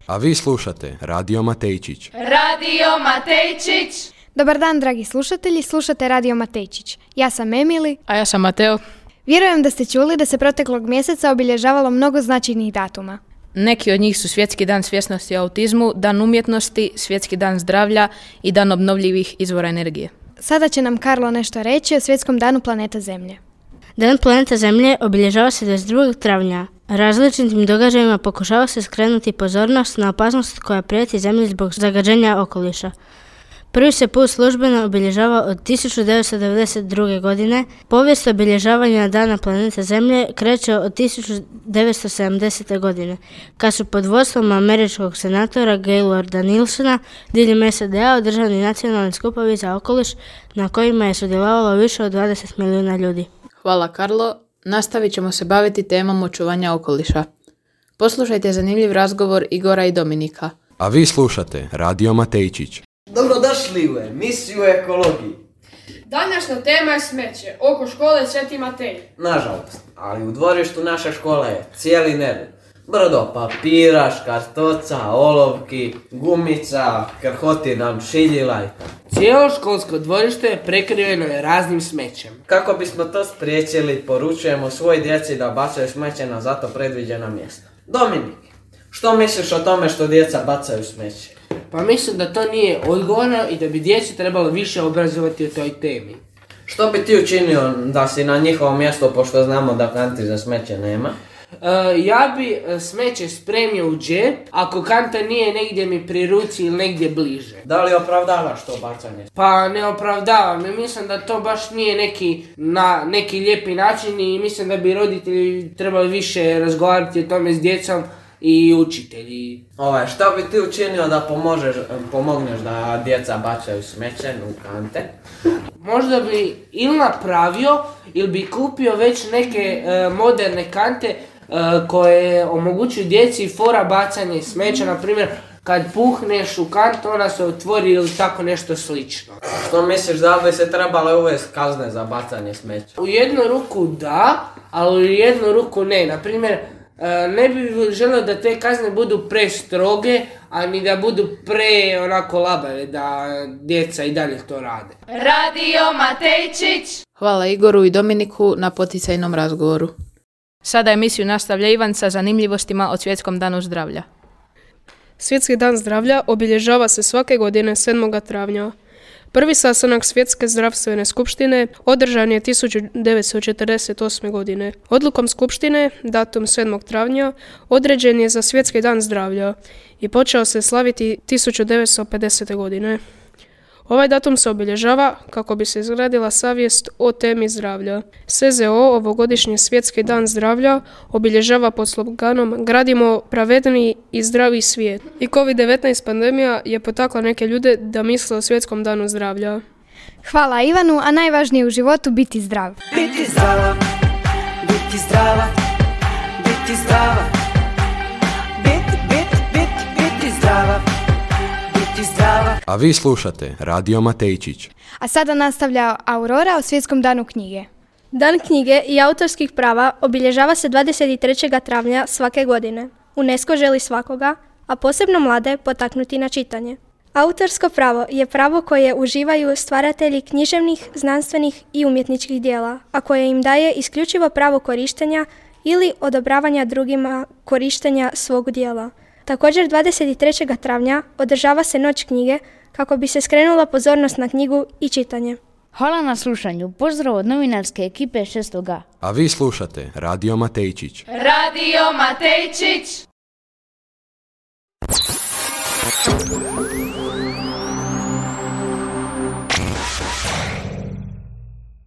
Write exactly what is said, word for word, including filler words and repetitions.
A vi slušate Radio Matejčić. Radio Matejčić! Dobar dan, dragi slušatelji, slušate Radio Matejčić. Ja sam Emili. A ja sam Mateo. Vjerujem da ste čuli da se proteklog mjeseca obilježavalo mnogo značajnih datuma. Neki od njih su Svjetski dan svjesnosti o autizmu, Dan umjetnosti, Svjetski dan zdravlja i Dan obnovljivih izvora energije. Sada će nam Karlo nešto reći o Svjetskom danu planeta Zemlje. Dan planeta Zemlje obilježava se dvadeset drugog travnja. Različitim događajima pokušava se skrenuti pozornost na opasnost koja prijeti Zemlji zbog zagađenja okoliša. Prvi se put službeno obilježava od tisuću devetsto devedeset druge. godine. Povijest obilježavanja Dana planeta Zemlje kreće od tisuću devetsto sedamdesete. godine, kad su pod vodstvom američkog senatora Gaylorda Nilsona diljem S A D A održani nacionalni skupovi za okoliš na kojima je sudjelovalo više od dvadeset milijuna ljudi. Hvala Karlo. Nastavit ćemo se baviti temom očuvanja okoliša. Poslušajte zanimljiv razgovor Igora i Dominika. A vi slušate Radio Matejčić. Dobrodošli u emisiju o ekologiji. Današnja tema je smeće oko škole Sveti Matej. Nažalost, ali u dvorištu naše škole je cijeli nered. Brdo papira, škartoca, olovki, gumica, krhoti nam šiljila i tako. Cijelo školsko dvorište prekriveno je raznim smećem. Kako bismo to spriječili, poručujemo svoj djeci da bacaju smeće na zato predviđena mjesta. Dominik, što misliš o tome što djeca bacaju smeće? Pa mislim da to nije odgovorno i da bi djeci trebalo više obrazovati o toj temi. Što bi ti učinio da si na njihovom mjestu, pošto znamo da kanti za smeće nema? Uh, ja bi smeće spremio u džep, ako kanta nije negdje mi pri ruci ili negdje bliže. Da li opravdavaš to bacanje? Pa ne opravdavam i mislim da to baš nije neki, na, neki lijepi način i mislim da bi roditelji trebali više razgovarati o tome s djecom i učitelji. Ovaj, što bi ti učinio da pomožeš, pomogneš da djeca bacaju smeće u kante? Možda bi ili napravio ili bi kupio već neke e, moderne kante e, koje omogućuju djeci fora bacanje smeća, na primjer kad puhneš u kantu ona se otvori ili tako nešto slično. Što misliš da bi se trebale uvesti kazne za bacanje smeća? U jednu ruku da, ali u jednu ruku ne. Na primjer, ne bi želio da te kazne budu prestroge, a ni da budu pre onako labave, da djeca i dalje to rade. Radio Matejčić! Hvala Igoru i Dominiku na poticajnom razgovoru. Sada emisiju nastavlja Ivan sa zanimljivostima o Svjetskom danu zdravlja. Svjetski dan zdravlja obilježava se svake godine sedmog travnja. Prvi sastanak Svjetske zdravstvene skupštine održan je tisuću devetsto četrdeset osme. godine. Odlukom skupštine, datum sedmog travnja, određen je za Svjetski dan zdravlja i počeo se slaviti tisuću devetsto pedesete. godine. Ovaj datum se obilježava kako bi se izgradila savjest o temi zdravlja. S Z O ovogodišnji Svjetski dan zdravlja obilježava pod sloganom Gradimo pravedniji i zdravi svijet. I kovid devetnaest pandemija je potakla neke ljude da misle o Svjetskom danu zdravlja. Hvala Ivanu, a najvažnije u životu biti zdrav. Biti zdrava, biti zdrava, biti zdrava, biti, biti, biti, biti zdrava. A vi slušate Radio Matejčić. A sada nastavlja Aurora o Svjetskom danu knjige. Dan knjige i autorskih prava obilježava se dvadeset trećeg travnja svake godine. UNESCO želi svakoga, a posebno mlade, potaknuti na čitanje. Autorsko pravo je pravo koje uživaju stvaratelji književnih, znanstvenih i umjetničkih dijela, a koje im daje isključivo pravo korištenja ili odobravanja drugima korištenja svog dijela. Također dvadeset trećeg travnja održava se Noć knjige kako bi se skrenula pozornost na knjigu i čitanje. Hvala na slušanju. Pozdrav od novinarske ekipe šestog A. A vi slušate Radio Matejčić. Radio Matejčić!